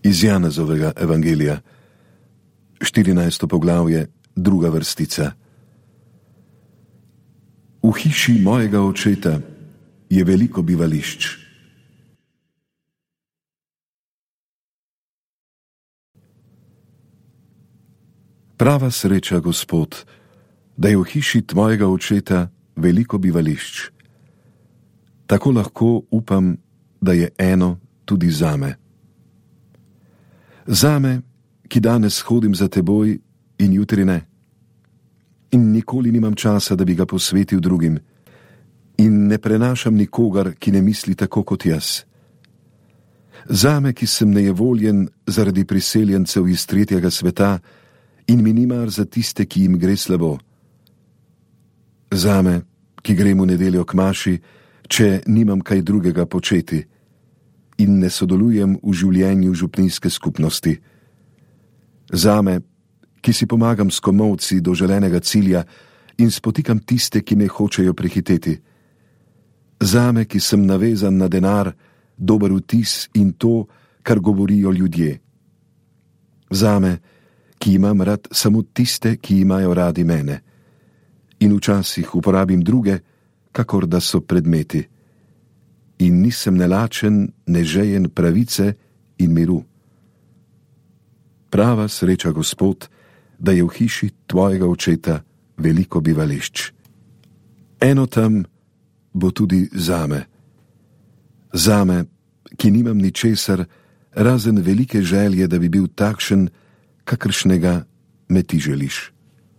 Iz Janezovega evangelija, 14. poglavje, 2. vrstica. V hiši mojega očeta je veliko bivališč. Prava sreča, Gospod, da je v hiši tvojega očeta veliko bivališč. Tako lahko upam, da je eno tudi zame. Zame, ki danes hodim za teboj in jutri ne. In nikoli nimam časa, da bi ga posvetil drugim. In ne prenašam nikogar, ki ne misli tako kot jaz. Zame, ki sem nejevoljen zaradi priseljencev iz tretjega sveta in mi ni mar za tiste, ki jim gre slabo. Zame, ki grem v nedeljo k maši, če nimam kaj drugega početi in ne sodelujem v življenju župnijske skupnosti. Zame, ki si pomagam s komolci do želenega cilja in spotikam tiste, ki me hočejo prehiteti. Zame, ki sem navezan na denar, dober vtis in to, kar govorijo ljudje. Zame, ki imam rad samo tiste, ki imajo radi mene. In včasih uporabim druge, kakor da so predmeti. In nisem ne lačen, ne žejen pravice in miru. Prava sreča, Gospod, da je v hiši tvojega očeta veliko bivališč. Eno tam bo tudi zame. Zame, ki nimam ničesar, razen velike želje, da bi bil takšen, kakršnega me ti želiš.